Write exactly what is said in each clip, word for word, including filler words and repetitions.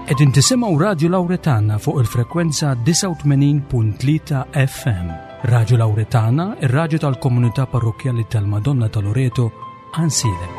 Qegħdin tisimgħu Radio Lauretana fuq il-frekwenza disgħa u tmenin punt tlieta F M. Radio Lauretana, ir-raġu tal-komunità parrokjali tal-Madonna ta' Loreto, Għajnsielem.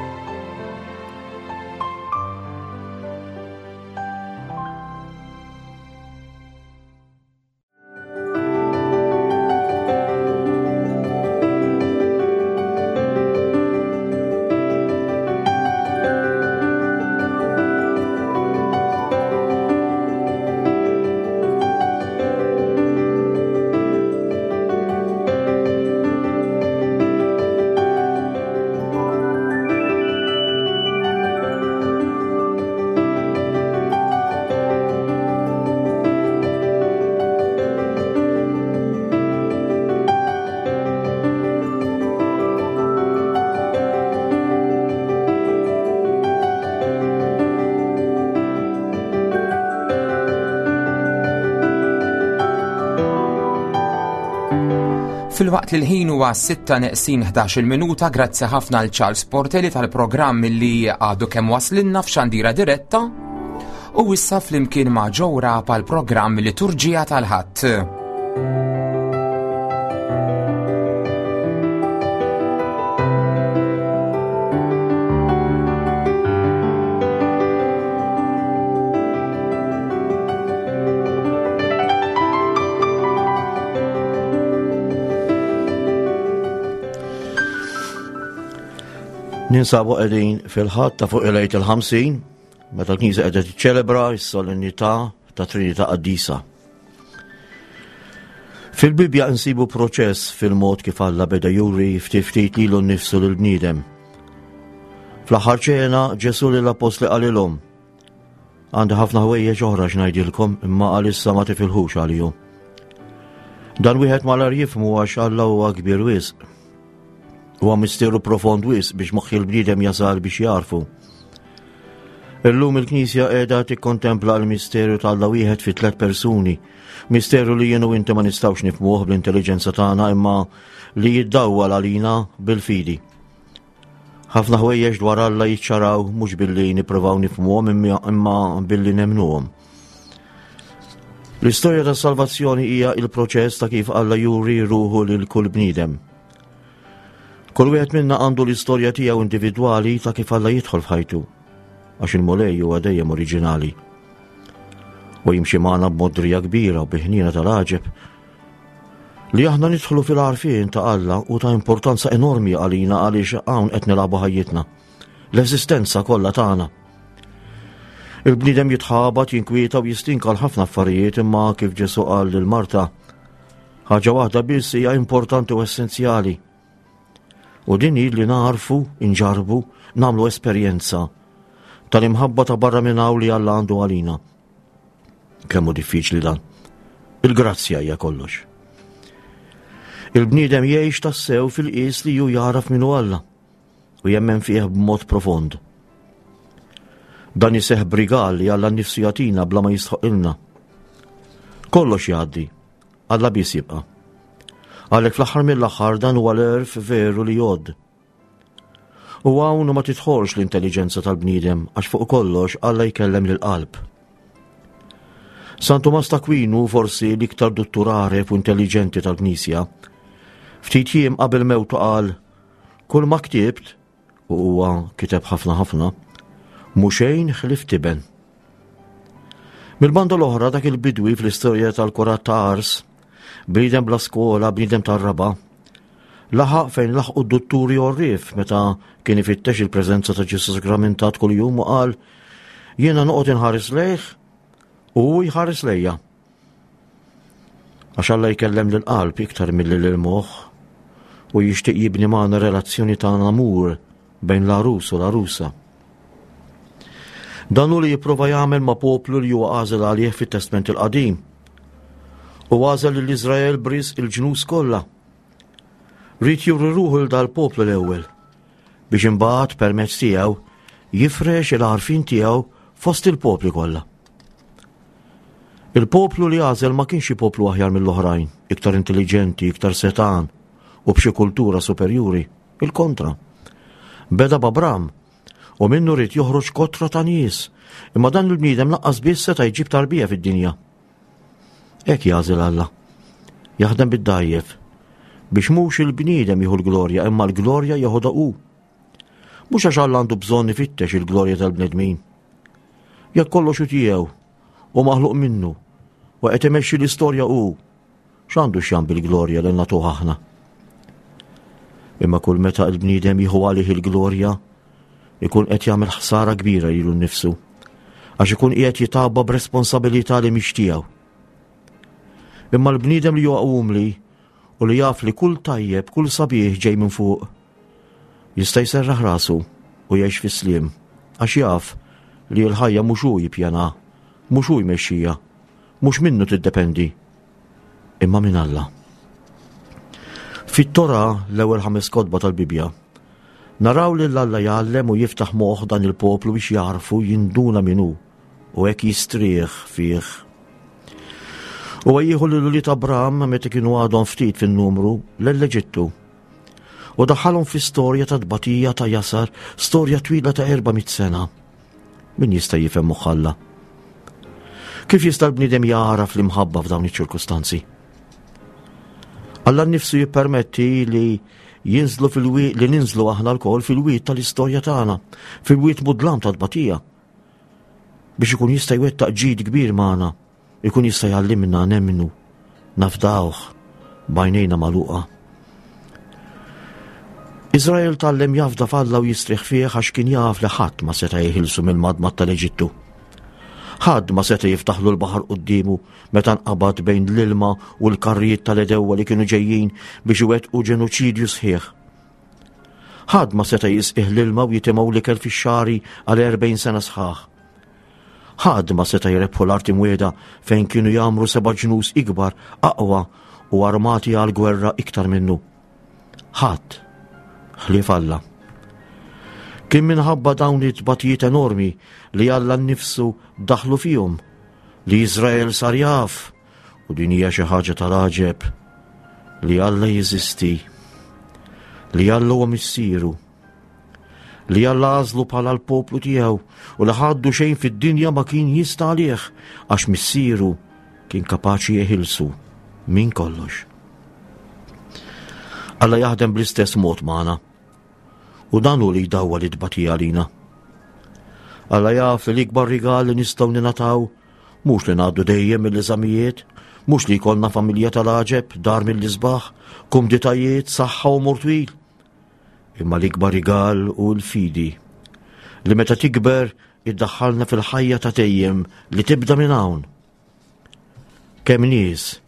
Filwaqt li l-ħin huwa sitta neqsin ħdax-il minuta, grazzi ħafna l Charles Portelli tal-programm li għadu kemm waslinna f'xandira diretta u issa flimkien ma' Joe Rapa l-programm Liturġija tal-Ħadd. Ninsabu qegħdin fil-Ħadd ta' fuq il-Għid il-Ħamsin, meta l-Knisja qiegħda tiċċelebra s-solennità ta' Trinità Qaddisa. Fil-Bibja nsibu proċess fil-mod kif Alla beda juri ftit ftit lilu nnifsu lill-bniedem. Fl-aħħar ċena Ġesu lill-appostli qalilhom: "Għandi ħafna ħwejjeġ oħra x'ngħidilkom, imma għalissa ma tifilħux għalihom." Dan wieħed malar jifhmu għax Alla huwa kbir wisq. Huwa misteru profond wisq biex moħħ il-bniedem jasal biex jarfu. Illum il-Knisja qiegħda tikkontempla l-misteru ta' Alla wieħed fi tliet persuni. Misteru li jien u inti ma nistgħux nifhmuh bl-intelligenza tagħna, imma li jiddawwal għalina bil-fidi. Ħafna ħwejjeġ dwar Alla jiċċaraw mhux billi nippruvaw nifhmuhom, imma billi nemnuhom. L-istorja tas-salvazzjoni hija il-proċess ta' kif Alla juri ruħu lil kull bniedem. Kull wieħed minna għandu l-istorja tiegħu individwali ta' kif Alla jidħol f'ħajtu, għax il-Mulej huwa dejjem oriġinali. U jimxi magħna b'modrija kbira u bi ħniena tal-għaġeb. Li aħna nidħlu fil-għarfien ta' Alla u ta' importanza enormi għalina, għaliex hawn qed nilagħbu ħajjitna. L-eżistenza kollha tagħna. Il-bniedem jitħabat, jinkwieta u jistinka għal ħafna affarijiet, imma kif Ġesu qal lil Marta, ħaġa waħda biss hija importanti u essenzjali. U din hi li narfu, inġarbu, nagħmlu esperjenza tal-imħabba ta' barra minn hawn li Alla għandu għalina. Kemm hu diffiċli dan. Il-grazzja hija kollox. Il-bniedem jgħix tassew fil-qies li ju jaraf minnu Alla u jemmen fih b'mod profond. Dan iseħ b'rigal li Alla nnifsu jagħtina bla ma jistħoqilna. Kollox jgħaddi, Alla biss jibqa'. Għalhekk fl-aħħar mill-aħħar dan huwa l-għerf veru li jgħodd. U hawn ma tidħolx l-intelligenza tal-bniedem, għax fuq kollox Alla jkellem lill-qalb. San Tumas t'Akwinu, forsi l-iktar duttur għaref u intelligenti tal-Knisja, ftit jiem qabel mewtu qal: "Kull ma ktibt", u huwa kiteb ħafna ħafna, "mhu xejn ħlief tiben." Mill-banda l-oħra, dak il-bidwi fl-istorja tal-kurat ta' Ars, bniedem bla skola, bniedem tar-raba', laħaq fejn laħqu d-dutturi għorrief meta kien ifittex il-preżenza ta' Ġesu Sagramentat kuljum u qal: "Jiena noqgħod inħares lejh u hu jħares lejja." Għax Alla jkellem lill-qalb iktar milli lill-moħħ u jixtieq jibni magħna relazzjoni ta' amur bejn l-għarus u l-għarusa. Dan hu li jipprova jagħmel ma' poplu li huwa għażel għalih fit-Testment il-Qadim. U għażel lil Iżrael b'risq il-ġnus kollha. Ried juri ruħu lil dal-poplu l-ewwel biex imbagħad permezz tiegħu jifrex il-għarfien tiegħu fost il-popli kollha. Il-poplu li għażel ma kienx poplu aħjar mill-oħrajn, iktar intelligenti, iktar setan u b'xi kultura superjuri, il-kontra. Beda b'Abram U minnu ried joħroġ kotra ta' nies, imma dan il-bniedem lanqas biss seta' jġib tarbija fid-dinja. Hekk jagħżel Alla. Jaħdem bid-dgħajjef biex mhux il-bniedem jieħu l-glorja, imma l-glorja jeħodha hu. Mhux għax Alla għandu bżonn ifittex il-glorja tal-bnedmin. Jekk kollox hu tiegħu u maħluq minnu u qed imexxi l-istorja hu, x'għandu x'jagħmel bil-glorja li nagħtuh aħna? Imma kull meta l-bniedem jieħu għalih il-glorja, ikun qed jagħmel ħsara kbira lilu nnifsu, għax ikun qiegħed jitgħabba b'responsabilità li mhix tiegħu. Imma l-bniedem li huwa umli u li jaf li kull tajjeb, kull sabiħ ġej minn fuq, jista' jserraħ rasu u jgħix fis-sliem, għax jaf li l-ħajja mhux hu jippjana, mhux hu jmexxija, mhux minnu tiddependi, imma minn Alla. Fit-Tora, l-ewwel ħames kotba tal-Bibbja, naraw li Alla jgħallem u jiftaħ moħħ dan il-poplu biex jarfu jinduna min hu u hekk jistrieħ fih. U jieħu lil ulied Abram meta kienu għadhom ftit fin-numru l-Eġittu. U daħħalhom fi storja ta' tbatija ta' jasar, storja twila ta' erba' mitt sena. Min jista' jifhem moħħ Alla? Kif jista' l-bniedem jagħraf l-imħabba f'dawn iċ-ċirkustanzi? Alla nnifsu jippermetti li jinżlu fil-wied, li ninżlu aħna lkoll fil-wied tal-istorja tagħna, fil-wied mudlam ta' tbatija, biex ikun jista' jwettaq ġid kbir magħna, ikun jista' jgħallimna nemmnu, nafdawh b'għajnejna magħluqa. Iżrael tgħallem jafda f'Alla u jistrieħ fih għax kien jaf li ħadd ma seta' jeħilsu mill-madmad tal-Eġittu. Ħadd ma seta' jiftaħlu l-baħar quddiemu meta nqabad bejn l-ilma u l-karrijiet tal-edewwa li kienu ġejjin biex iwettqu ġenoċidju sħiħ. Ħadd ma seta' jisqih l-ilma u jitimgħu l-ikel fix-xagħri għal erbgħin sena sħaħ. Ħadd ma seta' jrebħu l-art imwiegħda fejn kienu jagħmru seba' ġnus ikbar, aqwa u armati għal gwerra iktar minnu. Ħadd ħlief Alla. Kien minħabba dawn it-tbatijiet enormi li Alla nnifsu daħlu fihom li Iżrael sar jaf, u din hija xi ħaġa tal-għaġeb, li Alla jeżisti, li Alla huwa missieru, li Alla għażlu bħala l-poplu tiegħu u li ħaddu xejn fid-dinja ma kien jista' għalih għax missieru kien kapaċi jeħilsu minn kollox. Alla jaħdem bl-istess mod magħna u dan hu li jdawwal it-tbatija għalina. Alla jaf li l-ikbar rigal li nistgħu ningħataw mhux li ngħaddu dejjem mill-eżamijiet, mhux li jkollna familja tal-għaġeb, dar mill-isbaħ, kumditajiet, saħħa u umur twil. Imma l-ikbar rigal hu l-fidi li meta tikber iddaħħalna fil-ħajja ta' dejjem li tibda minn hawn. Kemm nies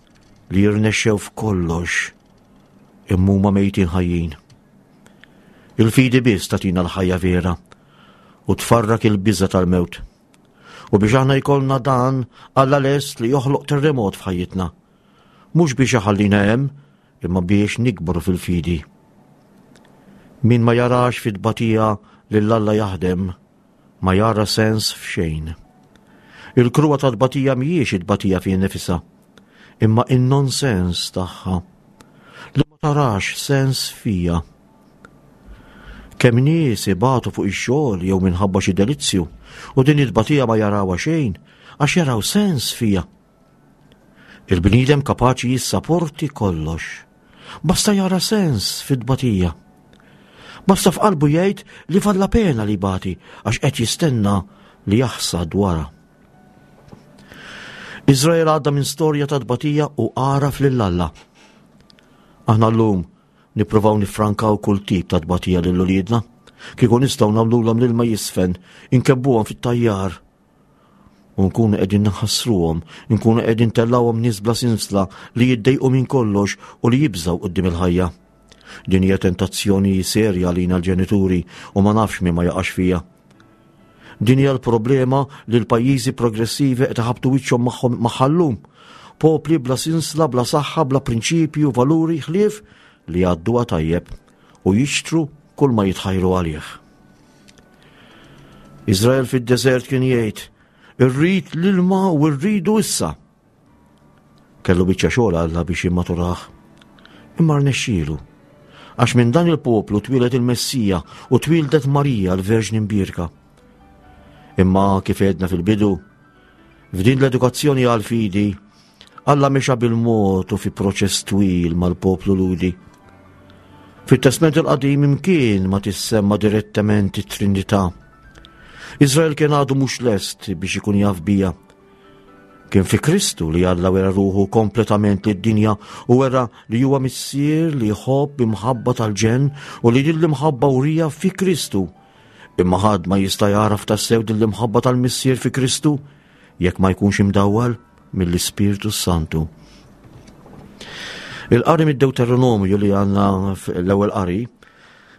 li jirnexxew f'kollox imma huma mejtin ħajjin. Il-fidi biss tagħtina l-ħajja vera u tfarrak il-biża tal-mewt. U biex aħna jkollna dan, Alla lest li joħloq terremot f'ħajjitna. Mhux biex iħallina hemm, imma biex nikbru fil-fidi. Min ma jarax fit-tbatija lil Alla jaħdem, ma jara sens f'xejn. Il-kruha tat-tbatija mhijiex it-tbatija fi nifisha, imma in-nonsens tagħha li ma tarax sens fija. Kemm nies ibatu fuq ix-xogħol jew minħabba xi delizzju u din it-tbatija ma jarawha xejn għax jaraw sens fija. Il-bniedem kapaċi jissaporti kollox. Basta jara sens fit-tbatija. Basta f'qalbu jgħid li valla pena li bati għax qed jistenna li jaħsad wara. Iżrael għadda minn storja ta' tbatija u għaraf lil Alla. Aħna llum nippruvaw nifrankaw kull tip ta' tbatija lil uliedna. Kieku nistgħu nagħmluhom l-ilma jisfen, inkebbuhom fit-tajjar. U nkunu qegħdin naħassruhom, nkunu qegħdin tellawhom nies bla sinsla li jiddejqu minn kollox u li jibżgħu quddiem il-ħajja. Din hija tentazzjoni serja għalina l-ġenituri u ma nafx min ma jaqax fija. Din hija l-problema li l-pajjiżi progressivi qed iħabbtu wiċċhom magħhom magħha llum. Popli bla sinsla, bla saħħa, bla prinċipji u valuri ħlief li jgħadduha tajjeb u jixtru kull ma jitħajru għalih. Iżrael fid-deżert kien jgħid, irrid l-ilma u rridu issa. Kellu biċċa xogħol Alla biex jimmaturah. Imma rnexxielu. Għax minn dan il-poplu twieled il-Messija u twieldet Marija l-Verġni Mbierka. Imma kif għedna fil-bidu, f'din l-edukazzjoni għal-fidi, Alla mexa bil-mod u fi proċess twil mal-poplu Lhudi. Fit-Testment il-Qadim imkien ma tissemma direttament it-Trinità. Izrael kien għadu mhux lest biex ikun jaf bija. Kien fi Kristu li Alla wera ruħu kompletament lid-dinja u wera li huwa missier li jħobb b'imħabba tal-ġenn u li din l-imħabba wrieha fi Kristu. Imma ħadd ma jista' jagħraf tassew din l-imħabba tal-Missier fi Kristu jekk ma jkunx imdawwal mill-Ispirtu Santu. Il-qari mid-Deuteronomju li għandna l-ewwel qari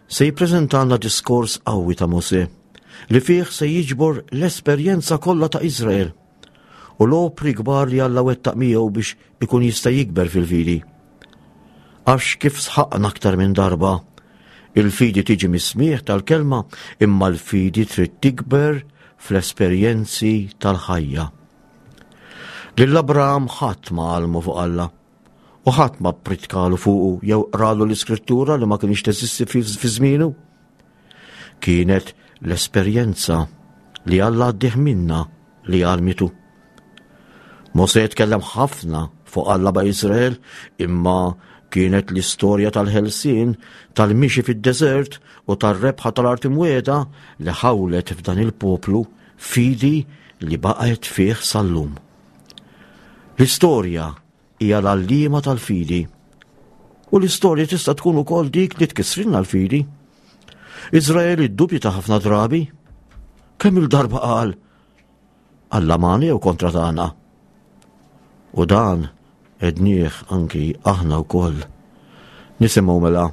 se jippreżentalna diskors qawwi ta' Mosè li fih se jiġbor l-esperjenza kollha ta' Izrael u l-opri kbar li Alla wettaq miegħu biex ikun jista' jikber fil-fidi. Għax kif sħaqna aktar minn darba, il-fidi tiġi mis-smigħ tal-kelma, imma l-fidi trid tikber fl-esperjenzi tal-ħajja. Lil Abraham ħadd ma għallmu fuq Alla u ħadd ma pritkalu fuqu jew qralu l-iskrittura li ma kienx teżisti fi żmienu. Kienet l-esperjenza li Alla għaddih minna li għallmitu. Mosè tkellem ħafna fuq Alla ma' Izrael, imma kienet l-istorja tal-ħelsien, tal-mixi fid-deżert u tar-rebħa tal-art imwiegħda li ħawlet f'dan il-poplu fidi li baqgħet fih sal-lum. L-istorja hija l-għalliema tal-fidi. U l-istorja tista' tkun ukoll dik li tkissrilna l-fidi. Izrael iddubita ħafna drabi. Kemm il-darba qal Alla magħna jew kontra tagħna? U dan għednieh anki aħna wkoll. Nisimgħu mela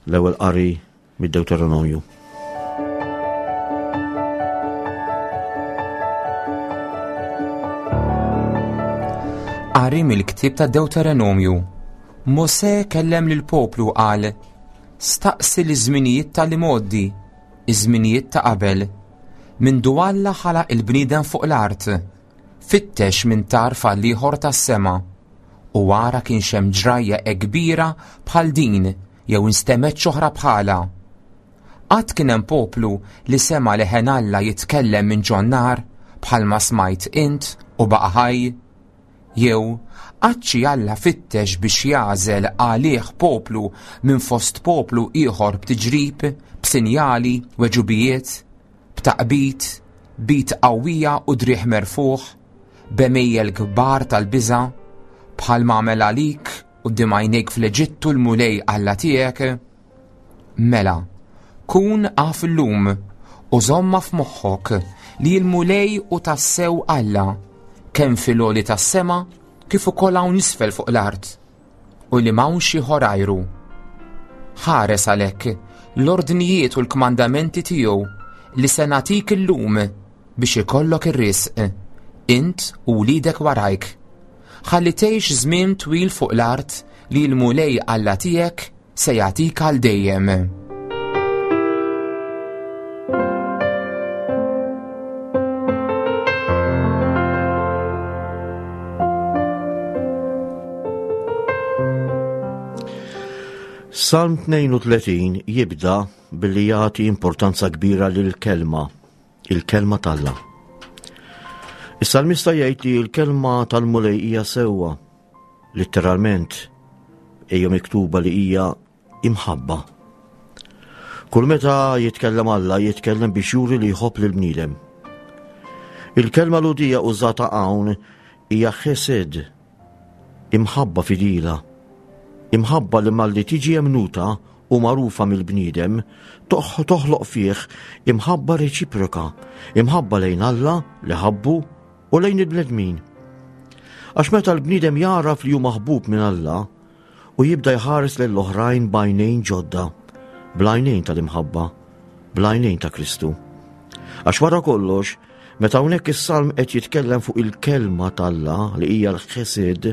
l-ewwel qari mid-Deuteronomju. Qari mill-ktieb ta' Deuteronomju. Mosè kellem lill-poplu qal: Staqsi l-żminijiet tal-imgħoddi, iż-żminijiet ta' qabel. Mindu Alla ħalaq il-bniedem fuq l-art, fittex minn tarf għal ieħor tas-sema, u wara kienx hemm ġrajja hekk kbira bħal din jew instemgħet oħra bħalha. Qatt kien hemm poplu li sema' leħen Alla jitkellem minn ġon-nar bħalma smajt int u baqa' ħaj? Jew qatt xi Alla fittex biex jagħżel għalih poplu minn fost poplu ieħor b'tiġrib, b'sinjali, weġubijiet, b'taqbid, b'id qawwija u driegħ merfuħ, b'għemejjel kbar tal-biża', bħal ma għamel għalik quddiem għajnejk fl-Eġittu l-Mulej Alla tiegħek? Mela, kun af illum u żomma f'moħħok li l-Mulej hu tassew Alla, kemm fil-għoli tas-sema kif ukoll hawn isfel fuq l-art, u li m'hawnx ieħor għajru. Ħares għalhekk l-ordnijiet u l-kmandamenti tiegħu li se nagħtik illum biex ikollok ir-risq, int u wliedek warajk. Ħalli tgħix żmien twil fuq l-art li l-Mulej Alla tiegħek se jagħtik għal dejjem. Salm tnejn u tletin jibda billi jagħti importanza kbira lill-kelma, il-kelma t'Alla. Is-salmista jgħid li l-kelma tal-Mulej hija sewwa, letteralment hija miktuba li hija imħabba. Kull meta jitkellem Alla, jitkellem biex juri li jħobb lill-bniedem. Il-kelma Lhudija użata hawn hija chesed, imħabba fidila, imħabba li malli tiġi emnuta u magħrufa mill-bniedem, toħloq fih imħabba reċiproka, imħabba lejn Alla li ħabbu u lejn il-bnedmin. Għax meta l-bniedem jaraf li hu maħbub minn Alla u jibda jħares lejn l-oħrajn b'għajnejn ġodda, bl-għajnejn tal-imħabba, bl-għajnejn ta' Kristu. Għax wara kollox, meta hawnhekk is-salm qed jitkellem fuq il-kelma t'Alla li hija l-ħesed,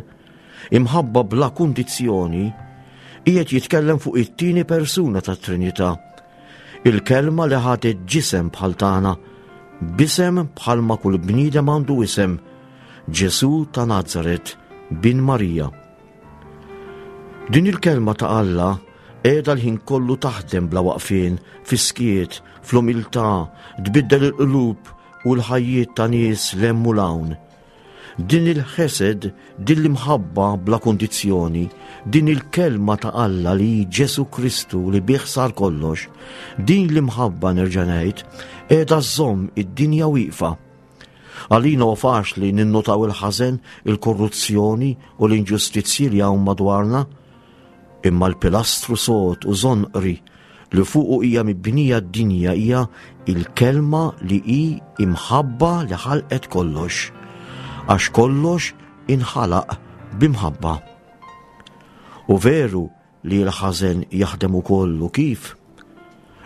imħabba bla kundizzjoni, qiegħed jitkellem fuq it-tieni persuna tat-Trinità, il-kelma li ħadet ġisem bħal tagħna, b'isem bħalma kull bniedem għandu isem, Ġesù ta' Nazaret, bin Marija. Din il-kelma ta' Alla Qiegħda l-ħin kollu taħdem bla waqfien, fis-skiet, fl-umiltà, tbiddel il-qlub u l-ħajjiet ta' nies 'l hemm u 'l hawn. Din il-ħesed, din l-imħabba bla kundizzjoni, din il-kelma ta' Alla li hi Ġesù Kristu li bih sar kollox, din l-imħabba nerġa' ngħid, qiegħda żżomm id-dinja wieqfa. Għalina huwa faċli ninnotaw il-ħażen, il-korruzzjoni u l-inġustizzji li hawn madwarna, imma l-pilastru sod u żonqri li fuqu hija mibnija d-dinja hija il-kelma li hi imħabba li ħalqet kollox, għax kollox inħalaq b'imħabba. U veru li l-ħażen jaħdem ukoll u kif,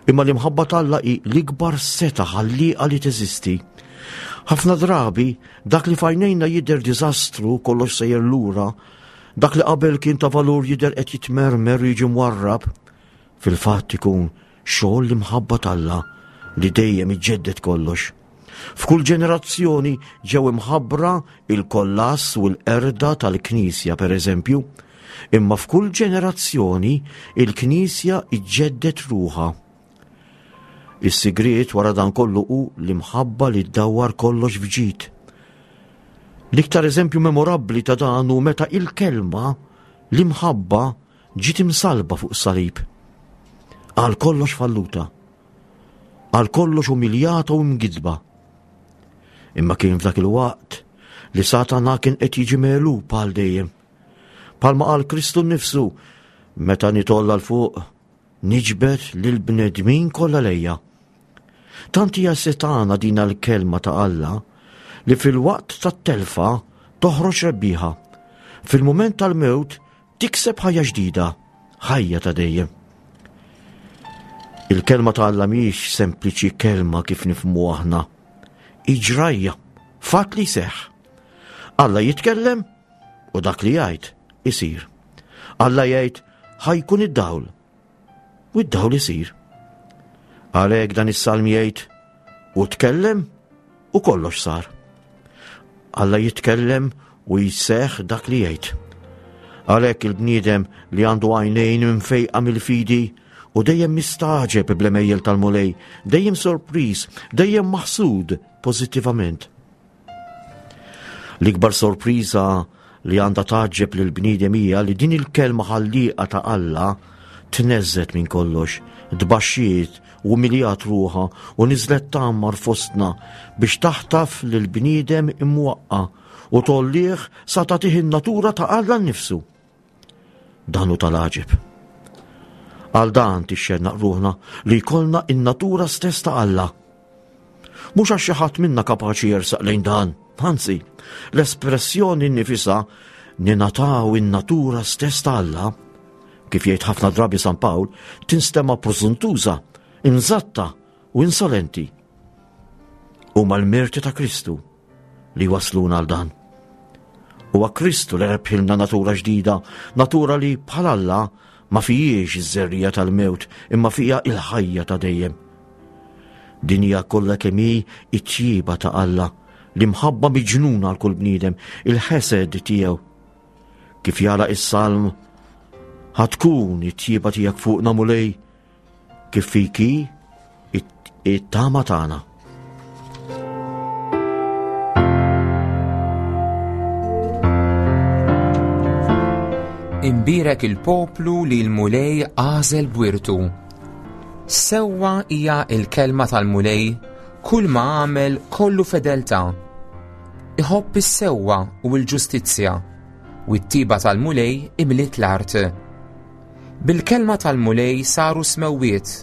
imma l-imħabba t'Alla hi l-ikbar seta ħallieqa li teżisti. Ħafna drabi dak li f'għajnejna jidher diżastru, kollox sejjer lura, dak li qabel kien ta' valur jidher qed jitmermer u jiġi mwarrab, fil-fatt ikun xogħol l-imħabba t'Alla li dejjem iġġedded kollox. F'kull ġenerazzjoni ġew imħabbra il-kollass u l-qerda tal-Knisja, per eżempju, imma f'kull ġenerazzjoni il-Knisja iġġedded ruħha. Is-sigriet wara dan kollu hu l-imħabba li ddawwar kollox f'ġid. L-iktar eżempju memorabbli ta' dan hu meta il-kelma l-imħabba ġiet imsalba fuq salib. Għal kollox falluta, għal kollox umiljata u mgidba. Imma kien f'dak il-waqt li Satana kien qed jiġi megħlub għal dejjem. Palma qal Kristu nnifsu, meta nitolla 'l fuq, niġbed lil bnedmin kollha lejja. Tant hija setana din l-kelma ta' Alla li fil-waqt tat-telfa toħroġ rebbieħa. Fil-mument tal-mewt tikseb ħajja ġdida, ħajja ta' dejjem. Il-kelma ta' Alla mhijiex sempliċi kelma kif nifhmu aħna. Iġrajja, fatt li seħħ. Alla jitkellem u dak li jgħid isir. Alla jgħid ħajkun id-dawl u id-dawl isir. Għalhekk dan is-salm jgħid u tkellem u kollox sar. Alla jitkellem u jseħħ dak li jgħid. Għalhekk il-bniedem li għandu għajnejn mfejqa mill-fidi u dejjem mistaġeb bl-għemejjel tal-Mulej, dejjem sorpriż, dejjem maħsud pożittivament. L-ikbar sorpriża li għandha tgħaġġeb lil bniedem hija li din il-kelma ħallieqa ta' Alla tneżżet minn kollox, tbaxxiet u umiljat ruħha u niżlet tgħammar fostna biex taħtaf lil bniedem imwaqqa u tollih sa tagħtih in-natura ta' Alla nnifsu. Dan hu tal-għaġeb. Għal dan tixxennaq ruħna li jkollna in-natura stess ta' Alla. Mhux għax xi ħadd minna kapaċi jersaq lejn dan, anzi, l-espressjoni nnifisha ninataw in-natura stess ta' Alla, kif jgħid ħafna drabi San Pawl, tinstema' preżuntuża, imżatta u insolenti. Huma l-merti ta' Kristu li wasluna għal dan. Huwa Kristu li rebħilna natura ġdida, natura li bħal Alla ma fijiex iż-żerrija tal-mewt, imma fija il-ħajja ta' dejjem. Din hija kollha kemm hi t-tjieba ta' Alla, l-imħabba miġnuna għal kull bniedem, il-ħesed tiegħu. Kif jara is-salm, ħatkun it-tjieba tiegħek fuqna Mulej, kif fiki it-tama tagħna. Imbierek il-poplu li l-Mulej għażel b'wirtu. Sewwa hija l-kelma tal-Mulej, kull ma għamel kollu fedeltà. Iħobb is-sewwa u l-ġustizzja, u t-tiba tal-Mulej imliet l-art. Bil-kelma tal-Mulej saru smewwiet,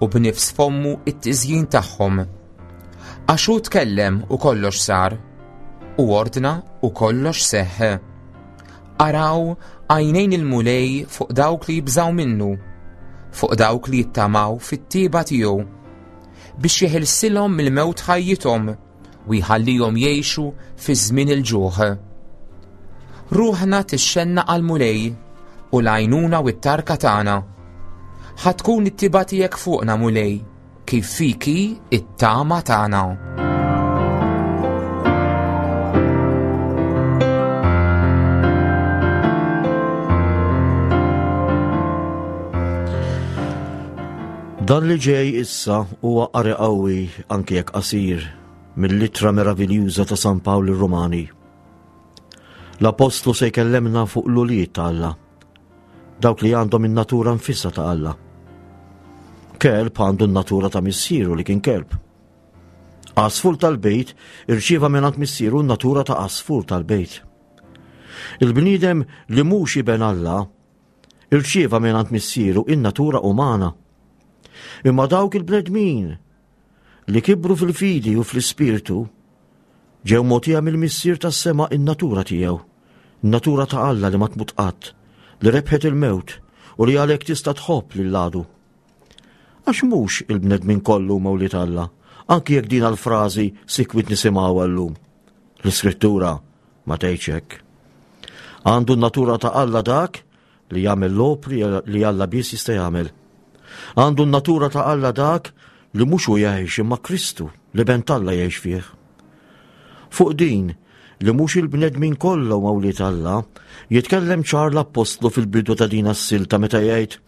u b'nifs fommu it-tiżjin tagħhom. Għax hu tkellem u kollox sar, u ordna u kollox seħħ. Araw għajnejn il-Mulej fuq dawk li jibżaw minnu, fuq dawk li jittamaw fit-tiba tiegħu, biex jeħilsilhom mill-mewt ħajjithom u jħallihom jgħixu fi żmien il-ġuħ. Ruħna tixxenna għall-Mulej u l-għajnuna u t-tarka tagħna. Ħa tkun it-tiba tiegħek fuqna Mulej, kif fiki it-tama tagħna. Dan li ġej issa huwa qari qawwi anke jekk qasir mill-ittra meraviljuża ta' San Pawl lir-Rumani. L-Apostlu se jkellemna fuq l-ulied ta' Alla, dawk li għandhom in-natura nfisha ta' Alla. Kelb għandu n-natura ta' missieru li kien kelb. Għasfur tal-bejt irċieva mingħand missieru n-natura ta' għasfur tal-bejt. Il-bniedem li mhux iben Alla irċieva mingħand missieru in-natura umana. Imma dawk il-bnedmin li kibru fil-fidi u fl-ispirtu ġew mogħtija mill-Missier tas-sema in-natura tiegħu, in-natura ta' Alla li ma tmut qatt, li rebħet il-mewt u li għalhekk tista' tħobb lil għadu. Għax mhux il-bnedmin kollu huma wlied Alla, anki jekk din l-frażi sikwit nisimgħuha llum. L-Iskrittura ma tgħidx hekk. Għandu n-natura ta' Alla dak li jagħmel l-opri li Alla biss jista' jagħmel. Għandu n-natura ta' Alla dak li mhux hu jgħix imma Kristu li ben t'Alla jgħix fih. Fuq din li mhux il-bnedmin kollha huma wlied Alla, jitkellem ċar l-Appostlu fil-bidu ta' din as-silta meta jgħid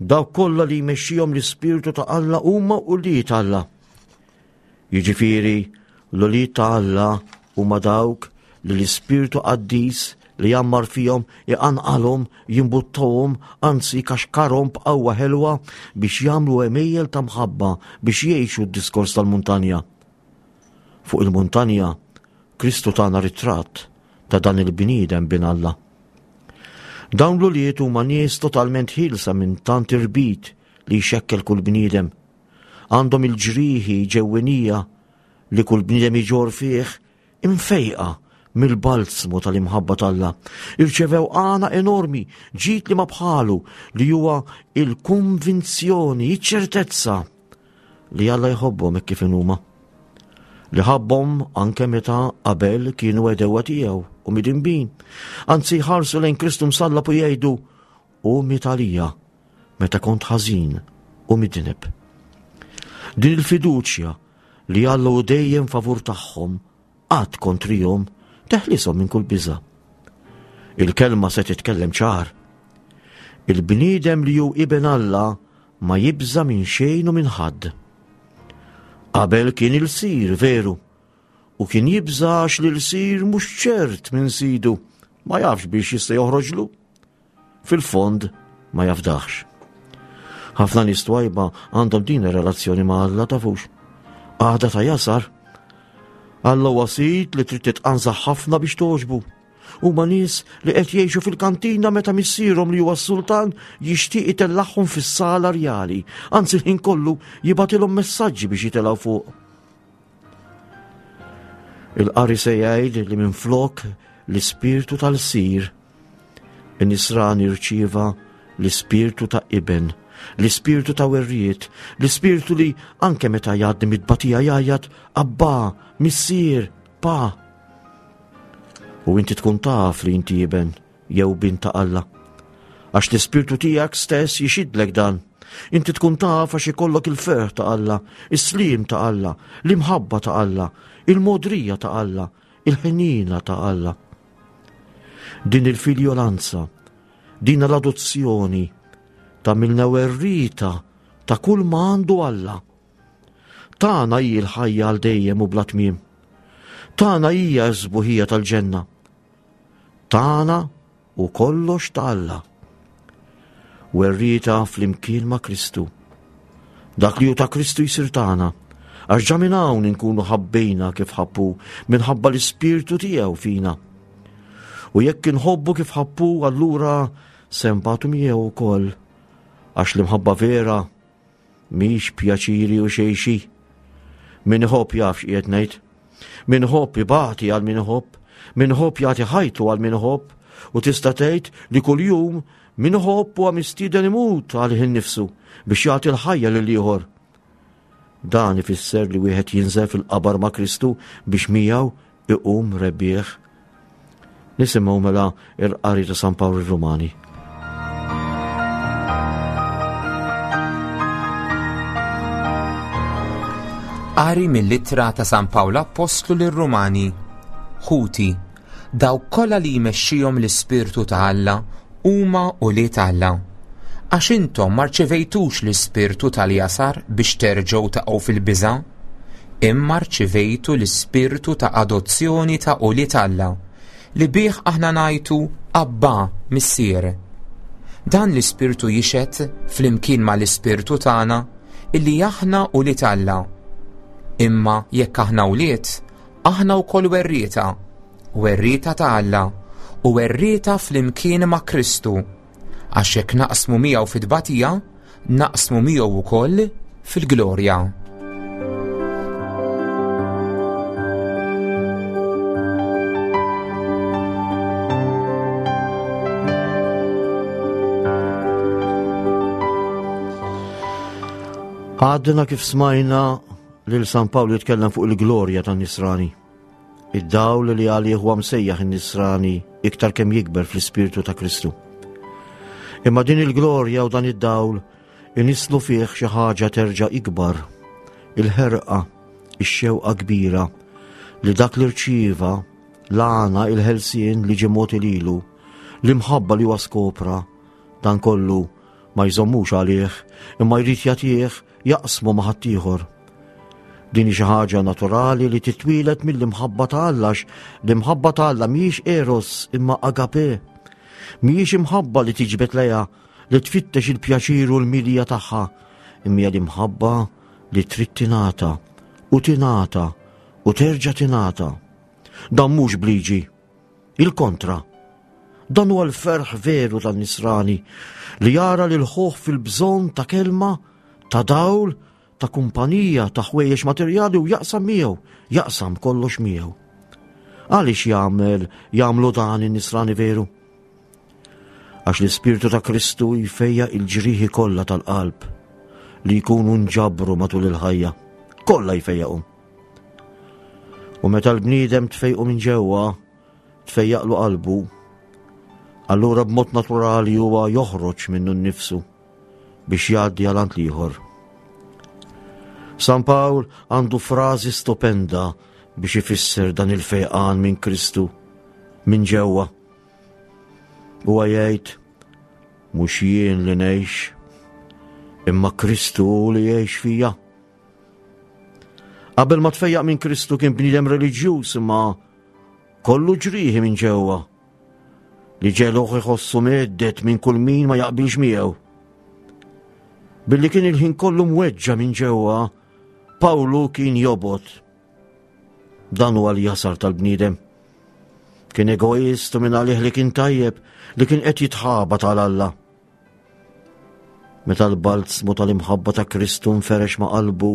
dawk kollha li jmexxihom l-Ispirtu ta' Alla huma wlied Alla. Jiġifieri l-ulied ta' Alla huma dawk li l-Ispirtu Qaddis li jammar fihom iqanqalhom, jimbuttahom, anzi kaxkarhom b'qawwa ħelwa biex jagħmlu għemejjel ta' mħabba biex jgħixu d-diskors tal-muntanja. Fuq il-muntanja, Kristu tana ritratt ta' dan il-bniedem bin Alla. Dawn l-ulied huma nies totalment ħielsa minn tant irbit li jxekkel kull bniedem. Għandhom il-ġrieħi ġewwinija li kull bniedem iġorr fih imfejqa mill-balzmu tal-imħabba t'Alla. Irċevew għana enormi, ġid li ma bħalu, li huwa il-konvinzjoni, iċ-ċertezza li Alla jħobbhom hekk kif huma. Li ħabbhom anke meta qabel kienu għedewwa tiegħu u midinbin. Anzi jħarsu lejn Kristu msallab u jgħidu u miet għalija meta kont ħażin u midneb. Din il-fiduċja li Alla hu dejjem favur tagħhom qatt kontrihom teħlishom minn kull biża'. Il-kelma se titkellem ċar. Il-bniedem li hu iben Alla ma jibża' minn xejn u minn ħadd. Qabel kien ilsir veru, u kien jibża' għax l-ilsir mhux ċert minn sidu, ma jafx biex jista' joħroġlu. Fil-fond ma jafdaħx. Ħafna nies twajba għandhom din ir-relazzjoni ma' Alla tafux. Għada ta' jasar. Alla huwa sid li trid titqanżaħ ħafna biex toġbu. Huma nies li qed jgħixu fil-kantina meta missierhom li huwa s-sultan jixtieq itellagħhom fis-sala rjali, anzi l-ħin kollu jibgħatilhom messaġġi biex jitilgħu fuq. Il-qari se jgħid li minflok l-ispirtu tal-sir, in-nisrani rċieva l-ispirtu ta' iben, l-ispirtu ta' werriet, l-ispirtu li anke meta jgħaddi mit-tbatija jgħajjat Abba, missier, pa. U inti tkun taf li inti iben jew bint ta' Alla. Għax l-ispirtu tiegħek stess jixidlek dan. Inti tkun taf għax ikollok il-ferħ ta' Alla, is-slim ta' Alla, l-imħabba ta' Alla, il-modrija ta' Alla, il-ħenina ta' Alla. Din il-filjolanza, din l-adozzjoni tagħmilna werrieta ta' kull ma għandu Alla. Tagħna hi l-ħajja għal dejjem u bla tmiem. Tagħna hija s-sbuħija tal-ġenna. Tagħna u kollox ta' Alla. Werrieta flimkien ma' Kristu. Dak li hu ta' Kristu jsir tagħna, għax ġa minn hawn inkunu ħabbejna kif ħabbu minħabba l-ispirtu tiegħu fina. U jekk inħobbu kif ħabbu, allura se nbatu miegħu wkoll, għax l-imħabba vera mhix pjaċiri u xejxi. Min iħobb jaf x'qiegħed ngħid. Min iħobb ibati għal min iħobb, min iħobb jagħti ħajtu għal min iħobb, u tista' tgħid li kuljum min iħobb huwa mistieden imut għalih innifsu biex jagħti l-ħajja lil ieħor. Dan ifisser li wieħed jinżel fil-qabar ma' Kristu biex miegħu iqum rebbieħ. Nisimgħu mela il-qari ta' San Pawl ir-Rumani. Qari mill-ittra ta' San Pawl Appostlu lir-Rumani. Ħuti, dawk kollha li jmexxihom l-Ispirtu ta' Alla huma ulied Alla. Għax intom ma rċevejtux l-ispirtu tal-jasar biex terġgħu taqgħu fil-biża', imma rċevejtu l-ispirtu ta' adozzjoni ta' ulied Alla, li bih aħna ngħidu Abba, Missier. Dan l-ispirtu jixhed flimkien mal-ispirtu tagħna illi aħna ulied Alla. Imma jekk aħna wlied, aħna wkoll werrieta, werrieta ta' Alla u werrieta flimkien ma' Kristu. Għax jekk naqsmu miegħu fit-tbatija, naqsmu miegħu wkoll fil-glorja. Għadna kif smajna lil San Pawl jitkellem fuq il-glorja tan-Nisrani. Id-dawl li għalih huwa msejjaħ in-Nisrani iktar kemm jikber fl-Ispirtu ta' Kristu. Imma din il-glorja u dan id-dawl inislu fih xi ħaġa terġa' ikbar, il-ħerqa, ix-xewqa kbira li dak li rċieva l-għana, il-ħelsien li ġie mogħti lilu, l-imħabba li huwa skopra, dan kollu ma jżommux għalih, imma jrid jagħtih, jaqsmu ma' ħaddieħor. Din hi xi ħaġa naturali li titwieled mill-imħabba ta' Alla, għax l-imħabba ta' Alla mhijiex eros imma agape. Mhijiex imħabba li tiġbed lejha, li tfittex il-pjaċir u l-milja tagħha, imma hija l-imħabba li trid tingħata u tingħata u terġa' tingħata. Dan mhux bliġi, il-kontra. Dan huwa l-ferħ veru tan-Nisrani li jara lil ħuh fil-bżonn ta' kelma, ta' dawl, ta' kumpanija, ta' ħwejjeġ materjali u jaqsam miegħu, jaqsam kollox miegħu. Għaliex jagħmel, jagħmlu dan in-Nisrani veru? Għax l-Ispirtu ta' Kristu jfejja il-ġrieħi kollha tal-qalb li jkunu nġabru matul il-ħajja, kollha jfejjaqhom. U meta l-bniedem tfejqu minn ġewwa, tfejjaqlu qalbu, allura b'mod naturali huwa joħroġ minnu nnifsu biex jgħaddi għal għand l-ieħor. San Pawl għandu frażi stupenda biex ifisser dan il-fejqan minn Kristu minn ġewwa. Huwa jgħid, mhux jien li ngħix, imma Kristu li jgħix fija. Qabel ma tfejjaq minn Kristu kien bniedem reliġjuż imma kollu ġrieħi minn ġewwa li ġeluh iħossu meddet minn kull min ma jaqbilx miegħu. Billi kien il-ħin kollu mweġġa minn ġewwa, Pawlu kien jobgħod. Dan huwa l-jasar tal-bniedem. Kien egoist u minn għalih li kien tajjeb, li kien qed jitħaba tal-Alla. Meta l-balzmu tal-imħabba ta' Kristu nferex ma' qalbu,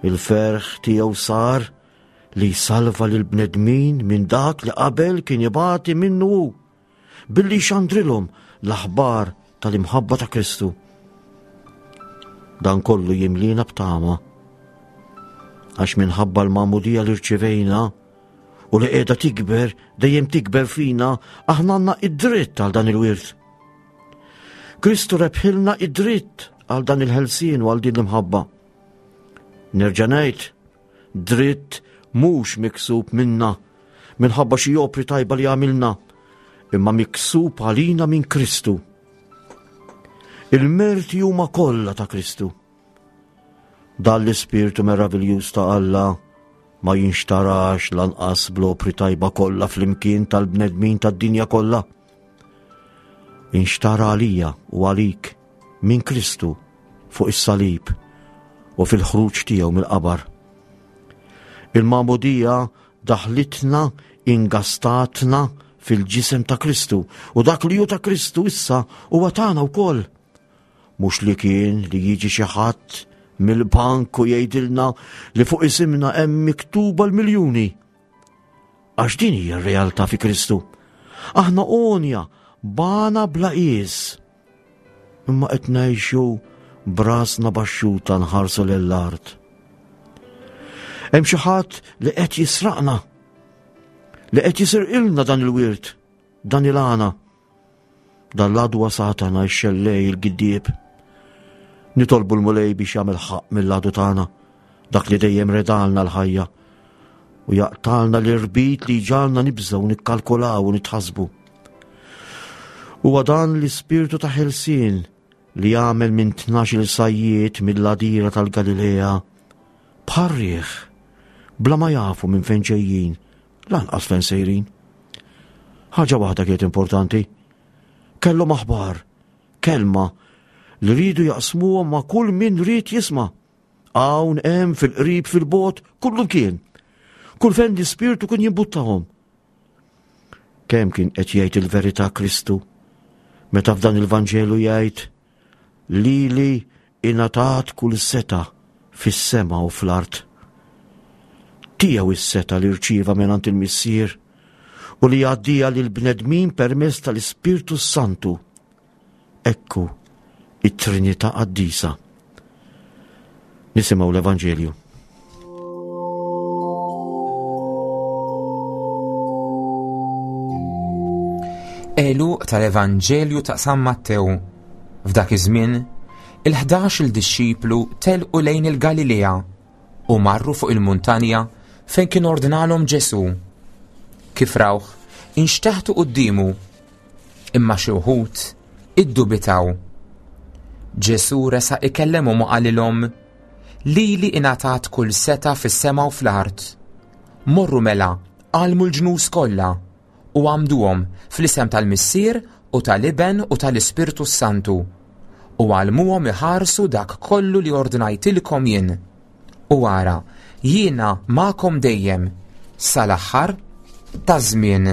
il-ferħ tiegħu sar li jsalva lil bnedmin minn dak li qabel kien ibati minnu hu, billi xandrilhom l-aħbar tal-imħabba ta' Kristu. Dan kollu jimlina b'tama, għax minħabba l-magħmudija li rċivejna u li qiegħda tikber, dejjem tikber fina, aħna għandna id-dritt għal dan il-wirt. Kristu rebħilna id-dritt għal dan il-ħelsien u għal din l-imħabba. Nerġa' ngħid, dritt mhux miksub minna minħabba xi opri tajba li għamilna, imma miksub għalina minn Kristu. Il-merti huma kollha ta' Kristu. Dan l-ispirtu meraviljuż ta' Alla ma jinxtarax lanqas bl-opri tajba kollha flimkien tal-bnedmin tad-dinja kollha. Inxtara għalija u għalik minn Kristu fuq is-salib u fil-ħruġ tiegħu mill-qabar. Il-magħmudija daħlitna, ingastatna fil-ġisem ta' Kristu, u dak li hu ta' Kristu issa huwa tagħna wkoll. Mhux li kien li jiġi xi ħadd mill-bank u jgħidilna li fuq isimna hemm miktuba l-miljuni. Għax din hija r-realtà fi Kristu. Aħna għonja bana bla qies. Imma qed ngħixu brasna baxxuta nħarsu lill-art. Hemm xi ħadd li qed jisraqna, li qed jisirqilna dan il-wirt, dan il-għana. Dan l-għadu Satana x-xellej il-giddieb. Nitolbu l-Mulej biex jagħmel ħaqq mill-għadu tagħna, dak li dejjem redalna l-ħajja, u jaqtalna l-irbit li ġalna nibżgħu, nikkalkulaw u nitħasbu. Huwa dan l-ispirtu ta' ħelsien li jagħmel minn tnax-il sajjied mill-għadira tal-Galilea bħar-riħ bla ma jafu minn fejn ġejjin, lanqas fejn sejrin. Ħaġa waħda kienet importanti. Kellhom aħbar, kelma li riedu jaqsmuha ma' kull min ried jisma'. Hawn hemm fil-qrib fil-bogħod, kullu kien. Kull fejn l-ispirtu kien jimbuttahom. Kemm kien qed jgħid il-verità Kristu meta f'dan il-Vanġelu jgħid lili ingħatat kull setgħa fis-sema u fl-art. Tiegħu is-setgħa li rċieva mingħand il-Missier u li jgħaddiha lill-bnedmin permezz tal-Ispirtu Santu. Ekku it-Trinità Qaddisa. Nisimgħu l-Evanġelju. Għeluq tal-Evanġelju ta' San Mattew. F'dak iż-żmien, il-ħdax il-dixxiplu telqu lejn il-Galilea u marru fuq il-muntanja fejn kien ordnalhom Ġesù. Kif rawh, inxteħtu quddiemu, imma xi wħud iddubitaw. Ġesù resaq ikellemhom u qalilhom, Lili ingħatat kull setgħa fis-sema u fl-art. Morru mela, għallmu l-ġnus kollha u għamduhom fl-isem tal-Missier u tal-Iben u tal-Ispirtu Santu, u għallmuhom iħarsu dak kollu li ordnajtilkom jien. U ara, jiena magħkom dejjem sal-aħħar taż-żmien.